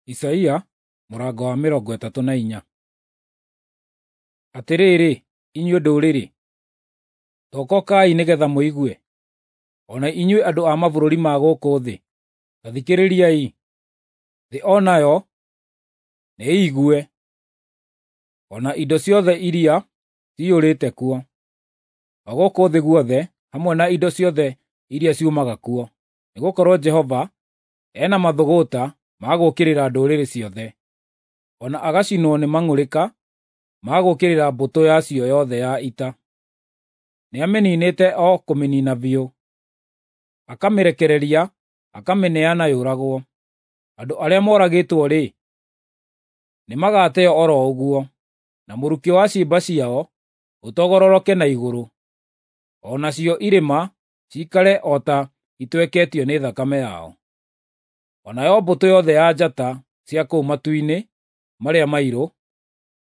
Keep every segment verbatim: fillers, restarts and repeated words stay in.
Isaia mũrango wa mĩrongo ĩtatũ na inya. Atĩrĩrĩ, inyuĩ ndũrĩrĩ, tokokai nĩgeetha mũigue, o na inyuĩ andũ a mabũrũri ma gũkũ thĩ, ta thikĩrĩriai. Thĩ o nayo nĩĩigue, o na indo ciothe iria ciyũrĩte kuo, o gũkũ thĩ guothe hamwe na indo ciothe iria ciumaga kuo. Nĩgũkorwo Jehova ena mathũgũta ma gũũkĩrĩra ndũrĩrĩ ciothe, o na agacinwo nĩ mang'ũrĩka ma gũũkĩrĩra mbũtũ yacio yothe ya ita. Nĩamĩniinĩte o kũmĩniina biũ, akamĩrekereria akamĩneana yũragwo. Andũ arĩa moragĩtwo-rĩ, nĩmagateo o ro ũguo, na mũrukĩ wa ciimba ciao ũtogororoke na igũrũ, o nacio irĩma ciikare o ta itweketio nĩ thakame yao. O nayo mbũtũ yothe ya njata cia kũu matu-inĩ marĩa mairũ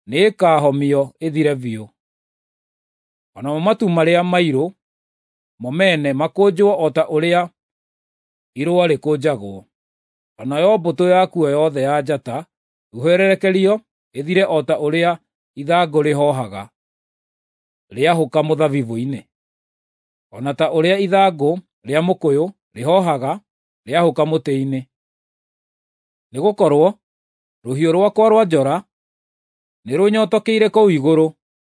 nĩĩkahomio ĩthire biũ. O namo matu marĩa mairũ mo mene makũnjwo o ta ũrĩa irũa rĩkũnjagwo, o nayo mbũtũ yakuo yothe ya njata ĩhwererekerio ĩthire o ta ũrĩa ithangũ rĩhoohaga rĩahũka mũthabibũ-inĩ, o na ta ũrĩa ithangũ rĩa mũkũyũ rĩhoohaga rĩahũka mũtĩ-inĩ. Nĩgũkorwo rũhiũ rwakwa rwa njora nĩrũnyotokeire kũu igũrũ,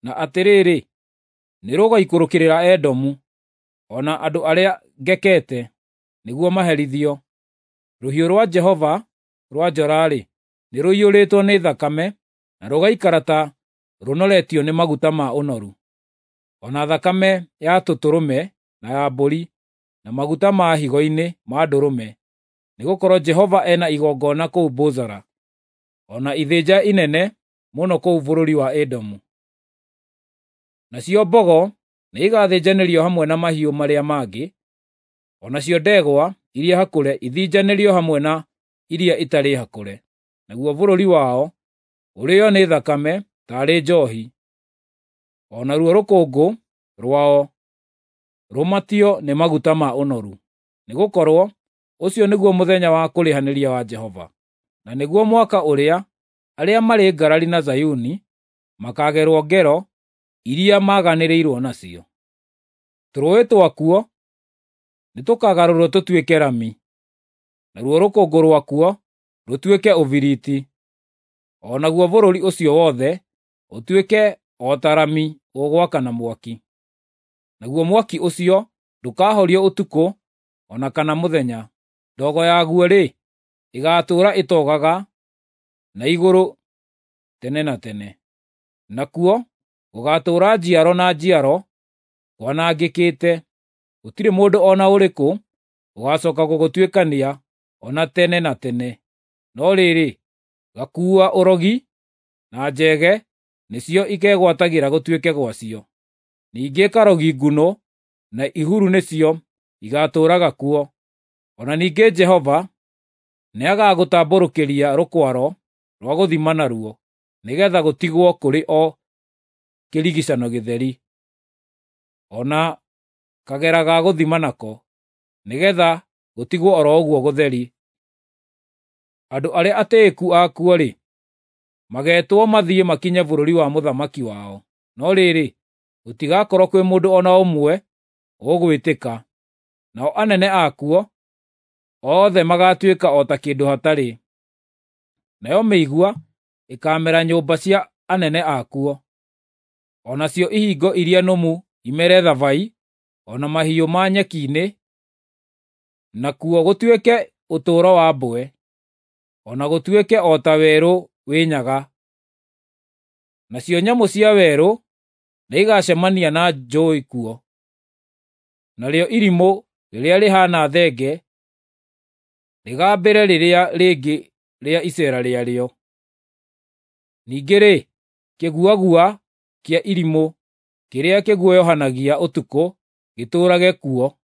na atĩrĩrĩ, nĩrũgaikũrũkĩrĩra Edomu, o na andũ arĩa ngekete, nĩguo maherithio. Rũhiũ rwa Jehova rwa njora-rĩ, nĩrũiyũrĩtwo nĩ thakame, na rũgaikara ta rũnoretio nĩ maguta ma ũnoru, o na thakame ya tũtũrũme na ya mbũri, na maguta ma higo-inĩ ma ndũrũme. Nĩgũkorwo Jehova ena igongona kũu Bozara, o na ithĩnja inene mũno kũu bũrũri wa Edomu. Nacio mbogo nĩigathĩnjanĩrio hamwe na mahiũ marĩa mangĩ, o nacio ndegwa iria hakũre ithĩnjanĩrio hamwe na iria itarĩ hakũre, naguo bũrũri wao ũrĩĩo nĩ thakame taarĩ njoohi, o naruo rũkũngũ rwao rũmatio nĩ maguta ma ũnoru. Nĩgũkorwo ũcio nĩguo mũthenya wa kũrĩhanĩria wa Jehova, na nĩguo mwaka ũrĩa arĩa marĩ ngarari na Zayuni makaagerwo ngero iria maganĩrĩirwo nacio. Tũrũũĩ twakuo nĩtũkagarũrwo tũtuĩke rami, naruo rũkũngũ rwakuo rũtuĩke ũbiriti, o naguo bũrũri ũcio wothe ũtuĩke o ta rami ũgwakana mwaki. Naguo mwaki ũcio ndũkahorio ũtukũ o na kana mũthenya. Ndogo yaguo-rĩ, ĩgaatũũra ĩtogaga na igũrũ tene na tene. Nakuo gũgaatũũra njiaro na njiaro kwanangĩkĩte, gũtirĩ mũndũ o na ũrĩkũ ũgaacooka gũgũtuĩkania o na tene na tene. No rĩrĩ, gakuua ũrogi na njege nĩcio ikegwatagĩra gũtuĩke gwacio. Ningĩ karogi ngunũ na ihuru nĩcio igaatũũraga kuo. O na ningĩ Jehova nĩagagũtambũrũkĩria rũkwaro rwa gũthima naruo, nĩgeetha gũtigwo kũrĩ o kĩrigiicano gĩtheri, o na kagera ga gũthima nako, nĩgeetha gũtigwo o ro ũguo gũtheri. Andũ arĩa atĩĩku akuo-rĩ, mageetwo mathiĩ makinye bũrũri wa mũthamaki wao, no rĩrĩ, gũtigakorwo kwĩ mũndũ o na ũmwe ũgwĩtĩka. Nao anene akuo othe magaatuĩka o ta kĩndũ hatarĩ. Nayo mĩigua ĩkaamera nyũmba cia anene akuo, o nacio ihingo iria nũmu imere thabai, o na mahiũ ma nyeki-inĩ, nakuo gũtuĩke ũtũũro wa mbwe, o na gũtuĩke o ta werũ wĩ nyaga. Nacio nyamũ cia werũ nĩigacemania na njũũi kuo, narĩo irimũ rĩrĩa rĩhaana thenge rĩgambĩre rĩrĩa rĩngĩ rĩa iceera rĩarĩo. Ningĩ-rĩ, kĩguagua kĩa irimũ kĩrĩa kĩguoyohanagia ũtukũ gĩtũũrage kuo,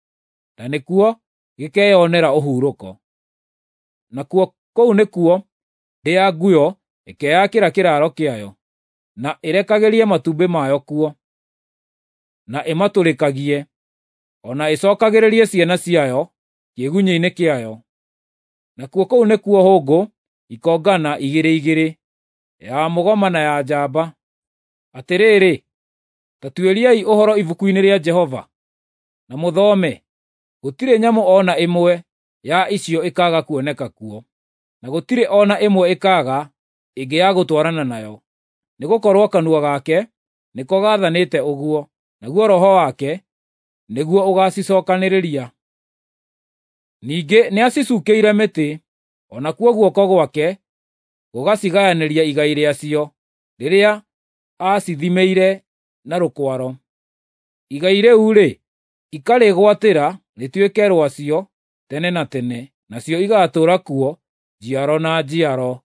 na nĩkuo gĩkeyonera ũhurũko. Nakuo kũu nĩkuo ndĩa nguyo ĩkeyakĩra kĩraaro kĩayo, na ĩrekagĩrie matumbĩ mayo kuo, na ĩmatũrĩkagie, o na ĩcookagĩrĩrie ciana ciayo kĩĩgunyĩ-inĩ kĩayo. Nakuo kũu nĩkuo hũngũ ikongana igĩrĩ igĩrĩ, ya mũgoma na ya njamba. Atĩrĩrĩ, ta tuĩriai ũhoro ibuku-inĩ rĩa Jehova, na mũthome: gũtirĩ nyamũ o na ĩmwe ya icio ĩkaaga kuoneka kuo, na gũtirĩ o na ĩmwe ĩkaaga ĩngĩ ya gũtwarana nayo, nĩgũkorwo kanua gake nĩko gaathanĩte ũguo, naguo Roho wake nĩguo ũgaacicookanĩrĩria. Ningĩ nĩacicuukĩire mĩtĩ, o nakuo guoko gwake gũgacigayanĩria igai rĩacio rĩrĩa aacithimĩire na rũkwaro. Igai rĩu-rĩ, ikarĩgwatĩra rĩtuĩke rwacio tene na tene, nacio igaatũũra kuo njiaro na njiaro.